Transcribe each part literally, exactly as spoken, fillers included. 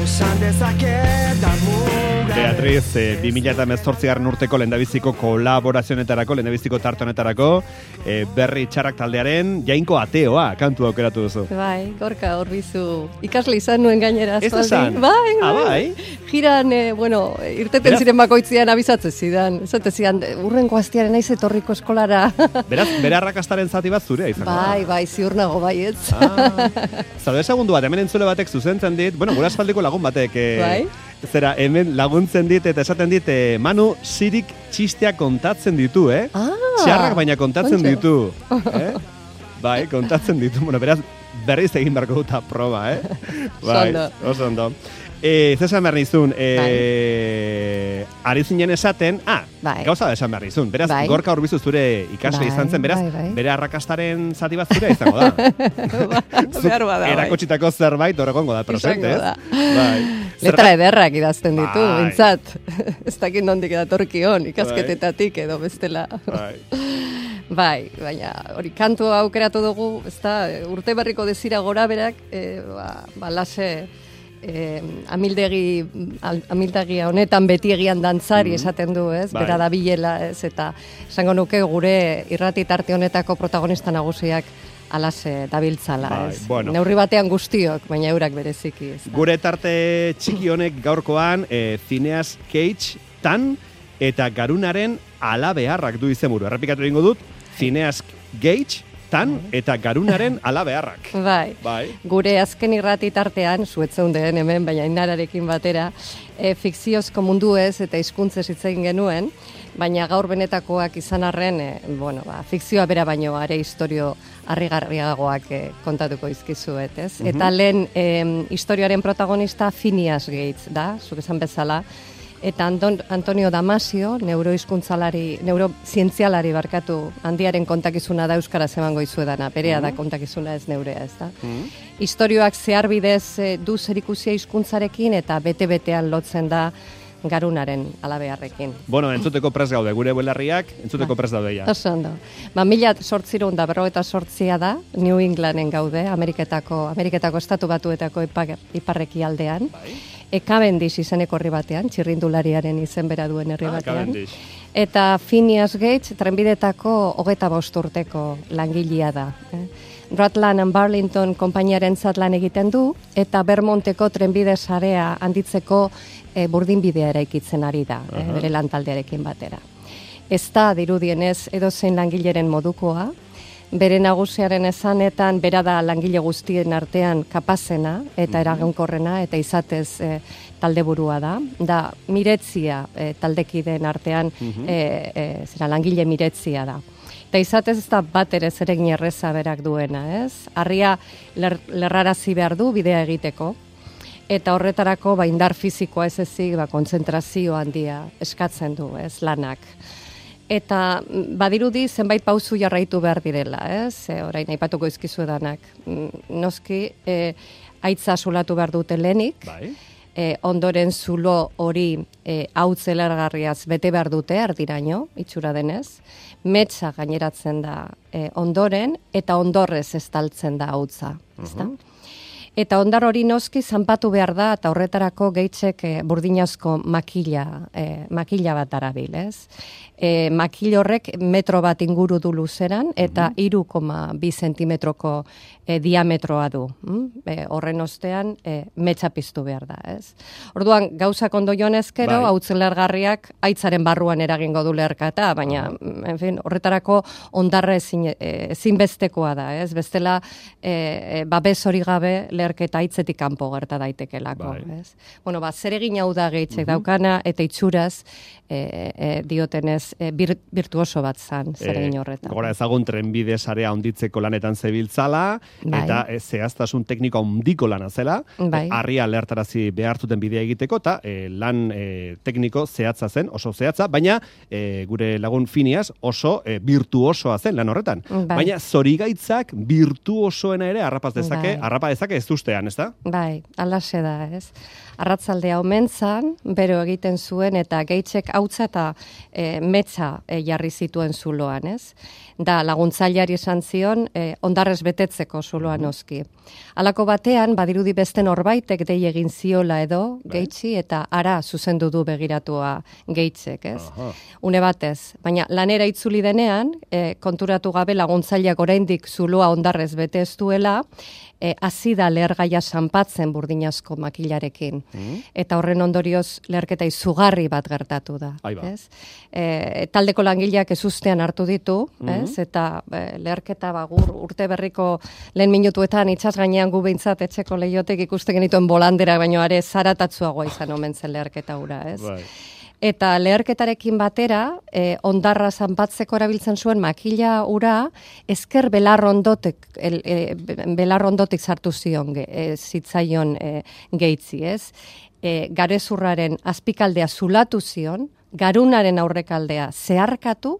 esan dezaket da Beatriz, eh, bi mila hemezortzigarren urteko lehendabiziko kolaborazionetarako, lehendabiziko tarte honetarako, eh, berri txarrak taldearen jainko ateoa kantu aukeratu duzu. Bai, Gorka Orbizu ikasle izan nuen gainera. Ez esan? Bai, ah, bai. bai. Jiran, eh, bueno, irteten Beraz... ziren bakoitzian abizatzen zidan. Esate zidan, urrengo astiaren naiz etorriko eskolara. Beraz, bere arrakastaren zati bat zurea izango. Bai, bai, ziur nago baietz. Ah, Zalde segundu bat, hemen entzule batek zuzentzen dit, bueno, gura aspaldiko lagun batek, eh, bai? Zera, hemen laguntzen dit eta esaten dit, eh, Manu, sirik txistea kontatzen ditu, eh? Ah, txarrak baina kontatzen ontsa. ditu. Eh? Bai, kontatzen ditu. Bueno, beraz, berriz egin barko duta proba, eh? Bai, oso ondo. Eh, Zesan behar nizun, eh, ari zinen esaten, ah, bai. gauza da esan behar nizun. Beraz, bai. Gorka Orbizu zure ikasle bai, izan zen, beraz, bai, bai. bere arrakastaren zati bat zure izango da. Behar bada, bai. Erakotsitako zerbait horregongo da, prosente, ez? Bai. Letra ederrak idazten ditu, Bai. bintzat. Ez dakit nondik edatorkion, ikasketetatik edo bestela. Bai. Bai, baina hori kantu aukeratu dugu, ezta, urte berriko dezira gora berak, e, ba, ba lase e, amildegi, al, amildegia honetan beti egian dantzari mm-hmm. esaten du, ez, bai. bera da bilela, ez, eta esango nuke gure irrati tarte honetako protagonista nagusiak alase dabiltzala, bai, ez. Bueno. Neurri batean guztiok, baina eurak bereziki, ez. Gure tarte txiki honek gaurkoan, e, Phineas Cage tan eta Garunaren alabeharrak du izenburu. Errepikatu egingo dut, Phineas Gage tan eta Garunaren alabeharrak. Bai. Bai. Gure azken irrati tartean, zuetzeunden hemen, baina inararekin batera, e, fikziozko mundu ez eta hizkuntzez hitz egin genuen, baina gaur benetakoak izan arren, e, bueno, ba, fikzioa bera baino are historio harrigarriagoak e, kontatuko izkizuet, ez? Mhm. Eta lehen e, historioaren protagonista Phineas Gates da, zuk esan bezala, eta Anton, Antonio Damasio, neurohizkuntzalari, neurozientzialari barkatu, handiaren kontakizuna da euskaraz emango izuedana, berea da kontakizuna ez neurea, ez da. Mm. Historioak zehar bidez e, du zerikusia hizkuntzarekin eta bete-betean lotzen da Garunaren alabeharrekin. Bueno, entzuteko prest gaude, gure belarriak entzuteko prest daude ja. Oso ondo. Ba, mila sortzireun da berrogeita sortzia da, New Englanden gaude, Ameriketako, Ameriketako estatu batuetako ipar, iparreki aldean. Bai. E Cavendish izeneko herri batean, txirrindulariaren izen bera duen herri ah, batean. Cavendish. Eta Phineas Gates trenbidetako hogeita bost urteko langilea da. Eh? Rutland and Burlington konpainiaren lan egiten du, eta Vermonteko trenbide sarea handitzeko e, burdinbidea eraikitzen ari da, uh-huh. e, bere lantaldearekin batera. Ez da, dirudienez, edozein langileren modukoa, bere nagusiaren esanetan, bera da langile guztien artean kapazena, eta eraginkorrena, eta izatez e, taldeburua da. Da, miretzia e, taldekideen artean, uh-huh. e, e, zera, langile miretzia da. Eta izatez ez da bat ere zeregin erreza berak duena, ez? Harria ler, lerrarazi behar du bidea egiteko, eta horretarako ba, indar fizikoa ez ezik, ba, kontzentrazio handia eskatzen du, ez, lanak. Eta badirudi zenbait pauzu jarraitu behar direla, ez? E, orain aipatuko izkizu edanak. Noski, e, aitza sulatu behar dute lehenik, bai. E, ondoren zulo hori e, hautz elargarriaz bete behar dute ardiraino, itxura denez, metza gaineratzen da e, ondoren, eta ondorrez estaltzen da hautza, ezta? Uh-huh. Eta ondar hori noski zanpatu behar da, eta horretarako gehitxek e, burdinazko makila, e, makila bat darabil, ez? E, makil horrek metro bat inguru du luzeran, eta hiru koma bi zentimetroko e, diametroa du. Mm? E, horren ostean, e, metxa piztu behar da, ez? Orduan, gauzak ondo jonezkero, bai. Hautzen lergarriak aitzaren barruan eragingo du lerkata, baina, uh-huh. en fin, horretarako ondarra ezin, e, ezinbestekoa da, ez? Bestela, e, e, babes hori gabe, lerketa aitzetik kanpo gerta daitekelako, bai. Ez? Bueno, ba, zeregin hau da gehitzek uh-huh. daukana, eta itxuraz, e, e, diotenez, e, bir, virtuoso bat zan, zeregin horretan. E, gora ezagun trenbide sarea onditzeko lanetan zebiltzala, bai. Eta e, zehaztasun tekniko ondiko lana zela, bai. e, harria lehartarazi behartuten bidea egiteko, eta e, lan e, tekniko zehatza zen, oso zehatza, baina e, gure lagun Phineas oso e, virtuosoa zen lan horretan. Bai. Baina zorigaitzak virtuosoena ere harrapaz dezake, bai. harrapa dezake ez ezustean, ez da? Bai, alaxe da, ez? Arratzaldea omentzan, bero egiten zuen, eta Gatesek hautza eta e, metza e, jarri zituen zuloan, ez? Da laguntzaileari esan zion, e, ondarrez betetzeko zuloan noski. Halako batean, badirudi beste norbaitek dei egin ziola edo, Gatesi, eta ara zuzendu du begiratua Gatesek, ez? Aha. Une batez, baina lanera itzuli denean, e, konturatu gabe laguntzaileak oraindik zuloa ondarrez bete ez duela, e, azida lehergaia sanpatzen burdinazko makilarekin. Mm. Eta horren ondorioz leherketa izugarri bat gertatu da. Ez? E, taldeko langileak ezustean hartu ditu, mm. ez? Eta e, leherketa bagur urte berriko lehen minutuetan itsas gainean gu behintzat etxeko lehiotek ikusten genituen bolandera, baino are zaratatzuagoa izan omen zen leherketa hura, ez? Bai. Eta leherketarekin batera, eh, ondarra zanpatzeko erabiltzen zuen makila ura, ezker belarrondotik, el, e, belarrondotik sartu zion, e, zitzaion e, Gatesi, ez? E, garezurraren azpikaldea zulatu zion, garunaren aurrekaldea zeharkatu,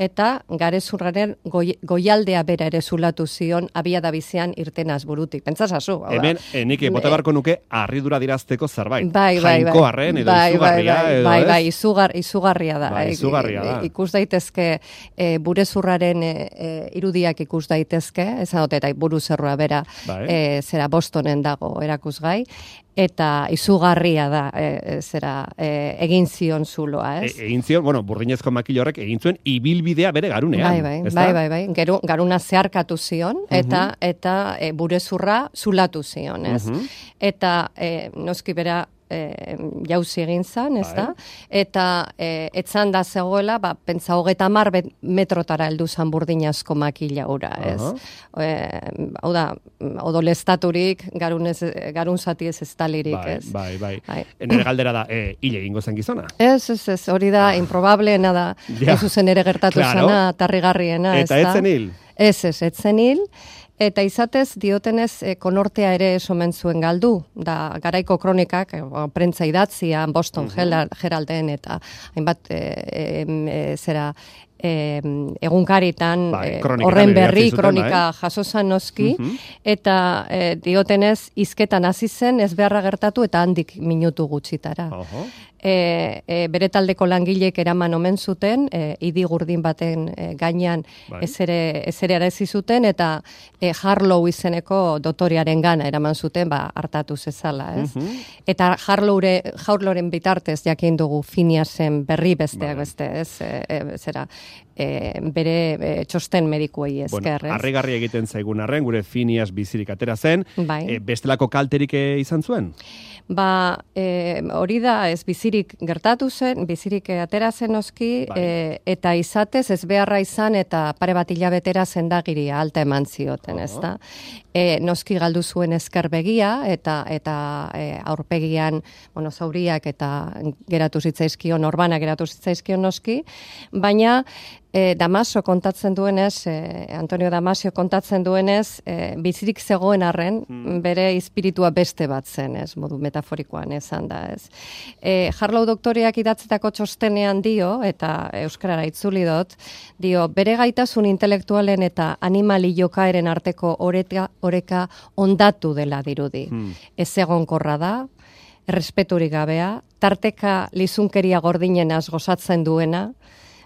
eta garezurraren goi, goialdea bera ere zulatu zion abiada bizian irtenaz burutik. Pentsasazu. Hemen, eh, nik bota barko nuke harridura dirazteko zerbait. Bai, bai, bai. Jainko harren, edo bai, izugarria, bai, bai, edo bai, ez? bai, izugar, izugarria da. Bai, izugarria da. Ikus daitezke, e, burezurraren e, e, irudiak ikus daitezke, ezan dut, eta buruzerroa bera, bai. e, zera Bostonen dago erakusgai, eta izugarria da, e, zera, e, egin zion zuloa, ez? E, egin zion, bueno, burdinezko makilo horrek egin zuen ibilbidea bere garunean. Bai, bai, bai, bai, bai. Geru, garuna zeharkatu zion, eta, uh-huh. eta e, burezurra zulatu zion, ez? Uh-huh. Eta e, noski bera, E, jauzi egin zan, ez da? Eta e, etzan da zegoela, ba, pentsa hogeta mar metrotara heldu zan burdinazko makila ura, ez? Uh-huh. E, hau da, odolestaturik, garun, ez, garun zati ez ez talirik, bai, ez? Bai, bai, bai. Nere galdera da, e, hile egingo zen gizona? Ez, ez, ez, hori da, ah. improbableena da, ja. Ez zuzen ere gertatu claro. Zana, tarrigarriena, ez da? Eta etzen hil? Ez, ez, etzen hil. Eta izatez, diotenez, e, konortea ere esomen zuen galdu. Da, garaiko kronikak, e, prentza idatzia, Boston uh-huh. Heralden, eta hainbat, e, e, e, zera, E, egunkaritan bai, horren berri zuten, kronika bai. Jasozan noski, uh-huh. eta e, diotenez hizketan hasi zen ez beharra gertatu eta handik minutu gutxitara. Uh-huh. E, e, bere taldeko langilek eraman omen zuten, e, idi gurdin baten e, gainean bai. ez ere ez ere arazi zuten, eta e, Harlow izeneko dotorearen gana eraman zuten, ba, hartatu zezala, ez? Uh-huh. Eta Harlowre, Harlowren bitartez jakin dugu Phineasen berri besteak bai. Beste, ez? E, e, zera, E, bere e, txosten medikuei esker, bueno, harrigarri egiten zaigun arren, gure Phineas bizirik atera zen, bai. e, bestelako kalterik izan zuen? Ba, e, hori da, ez bizirik gertatu zen, bizirik atera zen noski, bai. e, eta izatez ez beharra izan, eta pare bat hilabetera zendagiria alta eman zioten, uh-huh. ez da? E, noski galdu zuen ezker begia, eta eta e, aurpegian, bueno, zauriak eta geratu zitzaizkion, orbana geratu zitzaizkion noski, baina E, Damaso kontatzen duenez, e, Antonio Damasio kontatzen duenez, e, bizirik zegoen arren, hmm. bere espiritua beste bat zen, ez, modu metaforikoan esan da, ez. E, Harlow doktoreak idatzetako txostenean dio, eta euskarara itzuli dut, dio, bere gaitasun intelektualen eta animali jokaeren arteko oreka, oreka ondatu dela dirudi. Hmm. Ez egonkorra da, errespeturik gabea, tarteka lizunkeria gordinenaz gozatzen duena,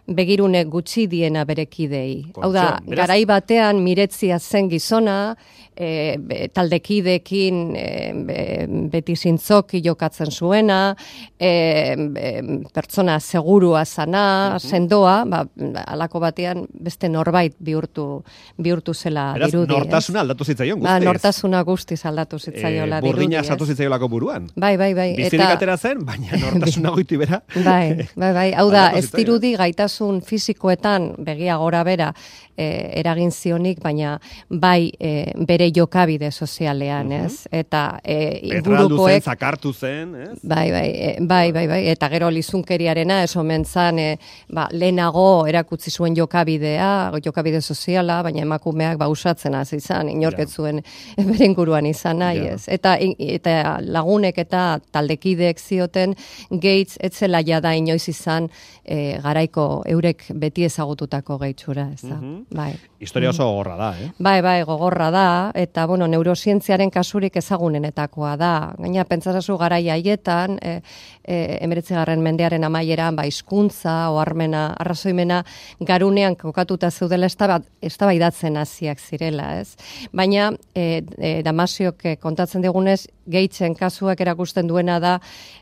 begirune gutxi diena berekidei. Hau da, garai batean miretzia zen gizona, e, be, taldekidekin e, be, beti zintzoki jokatzen zuena, e, be, pertsona segurua zana, uh-huh. sendoa, ba, alako batean beste norbait bihurtu bihurtu zela Beraz, dirudi. Beraz, nortasuna ez? Aldatu zitzaion guztiz. Ba, nortasuna guztiz aldatu zitzaiola e, dirudi. Burdina sartu zitzaiolako buruan. Bai, bai, bai. Bizirik eta... atera zen, baina nortasuna goiti bera. Bai, bai, bai. Hau da, ez dirudi gaitasun fizikoetan begia gora bera e, eragin zionik, baina bai e, bere jokabide sozialean, uh-huh. ez? Eta e, ingurukoek... zen, zakartu zen, ez? Bai, bai, e, bai, bai, bai. Eta gero lizunkeriarena, ez omen zan, e, ba, lehenago erakutsi zuen jokabidea, jokabide soziala, baina emakumeak ba usatzen hasi izan, inorket zuen bere inguruan izan nahi, ja. Ez? Eta, eta lagunek eta taldekideek zioten Gates etzela jada inoiz izan e, garaiko eurek beti ezagututako gehitxura, ez da. Uh-huh. Bai. Historia oso gogorra da, eh? Bai, bai, gogorra da, eta bueno, neurozientziaren kasurik ezagunenetakoa da. Gaina pentsasazu garaia haietan, e, e, emeretzigarren mendearen amaieran, ba, hizkuntza, oharmena, arrazoimena, garunean kokatuta zeudela eztabaidatzen hasiak zirela, ez? Baina, e, e, Damasiok kontatzen digunez, Gatesen kasuak erakusten duena da,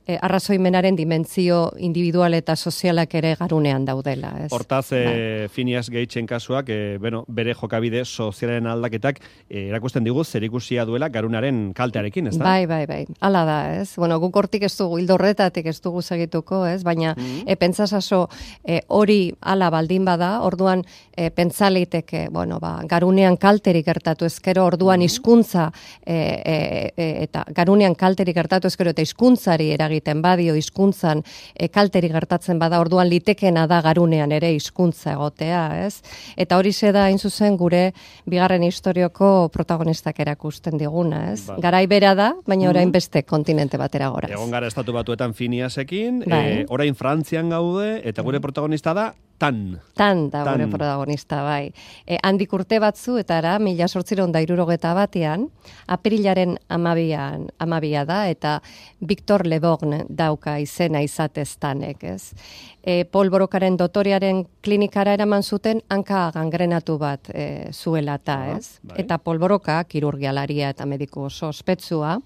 e, arrazoimenaren dimentsio individual eta sozialak ere garunean daudela, ez? Hortaz, e, Phineas Gatesen kasuak, e, bueno, bere jokabide sozialaren aldaketak e, erakusten digu zerikusia duela garunaren kaltearekin, ez da? Bai, bai, bai. Hala da, ez? Bueno, guk hortik ez dugu, hildo horretatik ez dugu segituko, ez? Baina, mm-hmm. e, pentsasaso, e, hori hala baldin bada, orduan e, pentsaleiteke, bueno, ba, garunean kalterik gertatu ezkero, orduan mm-hmm. hizkuntza e, e, e, eta garunean kalterik gertatu ezkero eta hizkuntzari eragiten badio, hizkuntzan e, kalterik gertatzen bada, orduan litekena da garunean ere hizkuntza egotea, ez? Eta hori da hain zuzen gure bigarren historioko protagonistak erakusten diguna, ez? Ba. Garai bera da, baina orain mm-hmm. beste kontinente batera goraz. Egon gara estatu batuetan Phineasekin, bai. e, orain Frantzian gaude, eta gure protagonista da Tan. Tan da Tan. Gure protagonista, bai. E, handik urte batzu, eta ara, mila sortziron da irurogeta batean, apirilaren amabian, amabia da, eta Victor Leborgne dauka izena izatez Tanek, ez? E, Paul Borokaren dotorearen klinikara eraman zuten hanka gangrenatu bat e, zuela eta, ez? Bai. Eta Paul Boroka, kirurgialaria eta mediku oso ospetsua,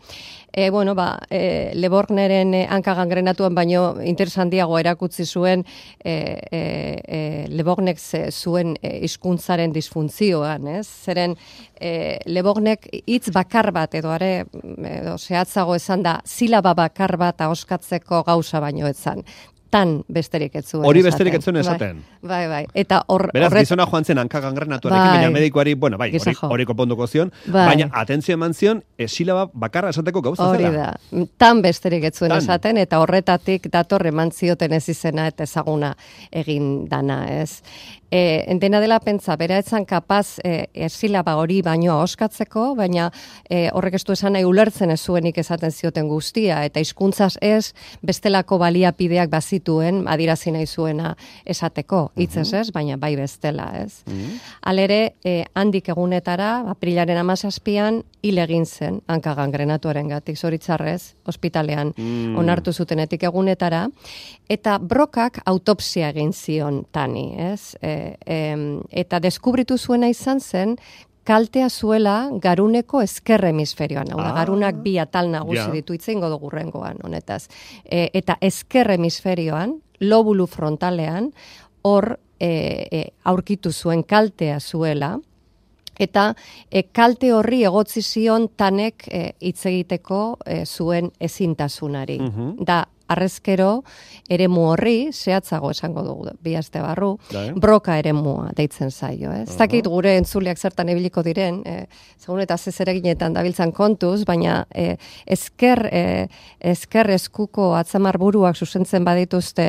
e, bueno, ba, e, Leborgneren e, hanka gangrenatuan baino interesantiago erakutsi zuen e, e, e, Leborgnek zuen e, hizkuntzaren disfuntzioan, ez? Zeren e, Leborgnek hitz bakar bat edo are edo zehatzago esan da silaba bakar bat ahoskatzeko gauza baino etzan. Tan besterik ez zuen. Hori besterik ez zuen esaten. Bai, bai. Eta hor, beraz, horret... gizona joan zen hanka gangrenatuarekin, bai. Baina medikoari, bueno, bai, hori, hori konponduko zion, bai. Baina atentzio eman zion, esilaba bakarra esateko gauza hori zela. Hori da. Tan besterik ez zuen Tan. Esaten, eta horretatik dator eman zioten ez izena eta ezaguna egin dana, ez? E, dena dela pentsa, bera etzan kapaz e, esilaba hori baino ahoskatzeko, baina e, horrek ez du esan nahi ulertzen ez zuenik esaten zioten guztia, eta hizkuntzaz ez bestelako baliapideak bazituen adirazi nahi zuena esateko, hitzez ez, baina bai bestela, ez. Uh-huh. Halere, e, handik egunetara, aprilaren hamazazpian, hil egin zen, hanka gangrenatuaren gatik, zoritzarrez, ospitalean mm. onartu zutenetik egunetara, eta Brokak autopsia egin zion Tani, ez? E, e, eta deskubritu zuena izan zen, kaltea zuela garuneko ezker hemisferioan. Hau da, ah, garunak bi atal nagusi yeah. ditu itzein godo gurrengoan, honetaz. E, eta ezker hemisferioan, lobulu frontalean, hor e, e, aurkitu zuen kaltea zuela, eta e, kalte horri egotzi zion Tanek e, hitz egiteko e, zuen ezintasunari. Uh-huh. Da, arrezkero eremu horri, zehatzago esango dugu bi aste barru, Dae. Broka eremua deitzen zaio. Ez uh-huh. dakit gure entzuleak zertan ebiliko diren, e, segun eta zezereginetan dabiltzan kontuz, baina e, ezker, e, ezker eskuko atzamar buruak zuzentzen badituzte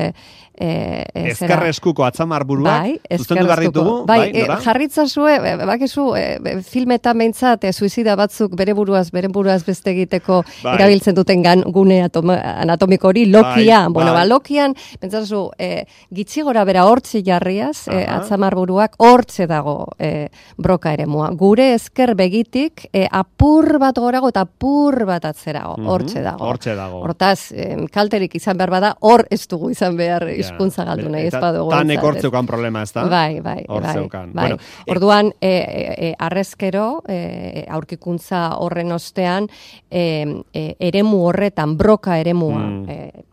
e, e, ezker eskuko atzamar buruak bai, zuzentu behar ditugu? Bai, bai e, jarritzazue, e, bakizu, e, filmetan behintzat, e, suizida batzuk bere buruaz, bere buruaz beste egiteko bai. Erabiltzen duten gan, gune atoma, anatomiko hori, Lokia, bai, bueno, bai. Ba, Lokian, pentsazu, e, gitxi gora bera hortzi jarriaz, e, atzamar buruak, hortze dago e, Broka eremua. Gure ezker begitik, e, apur bat gorago eta apur bat atzerago, hortze dago. Hortze dago. Hortaz, e, kalterik izan behar bada, hor ez dugu izan behar hizkuntza galdu nahi ez badugu. Tanek hortzeukan problema, ez da? Bai, bai, bai. bai. Bueno, orduan, e, e, arrezkero, e, aurkikuntza horren ostean, e, e, eremu horretan, Broka eremua, mm. e,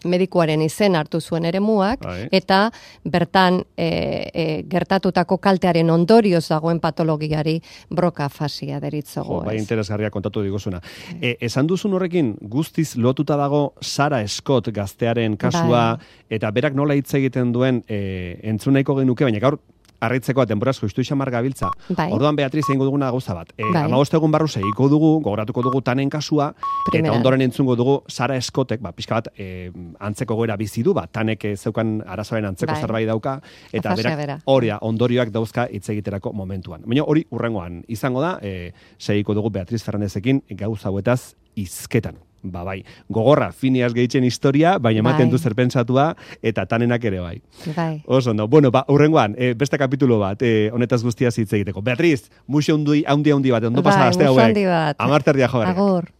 medikuaren izen hartu zuen eremuak, Ai. Eta bertan e, e, gertatutako kaltearen ondorioz dagoen patologiari Broka fasia deritzogo. Bai, interesgarria kontatu diguzuna. E, esan duzun horrekin guztiz lotuta dago Sarah Scott gaztearen kasua, bai. Eta berak nola hitz egiten duen e, entzunaiko genuke, baina gaur harritzeko denboraz joistu xamar gabiltza. Bai. Orduan Beatriz egingo duguna gauza bat. E, bai. hamabost egun barru segiko dugu, gogoratuko dugu Tanen kasua, Primera. Eta ondoren entzungo dugu Sarah Scottek, ba, pixka bat, e, antzeko goera bizi du, ba, Tanek zeukan arazoaren antzeko bai. Zerbait dauka, eta berak horia ondorioak dauzka hitz egiterako momentuan. Baina hori urrengoan izango da, e, segiko dugu Beatriz Fernandezekin gauza hauetaz hizketan. Ba bai, gogorra Phineas Gagen historia, baina ematen bai. du zer pentsatua, eta tanenak ere bai. Bai. Oso ondo. Bueno, ba, urrengoan, e, beste kapitulo bat, e, honetaz guztia hitz egiteko. Beatriz, muxo handi handi handi bat, ondo bai, pasa aste muxo hauek. handi bat. Amarterdia jo. Agur.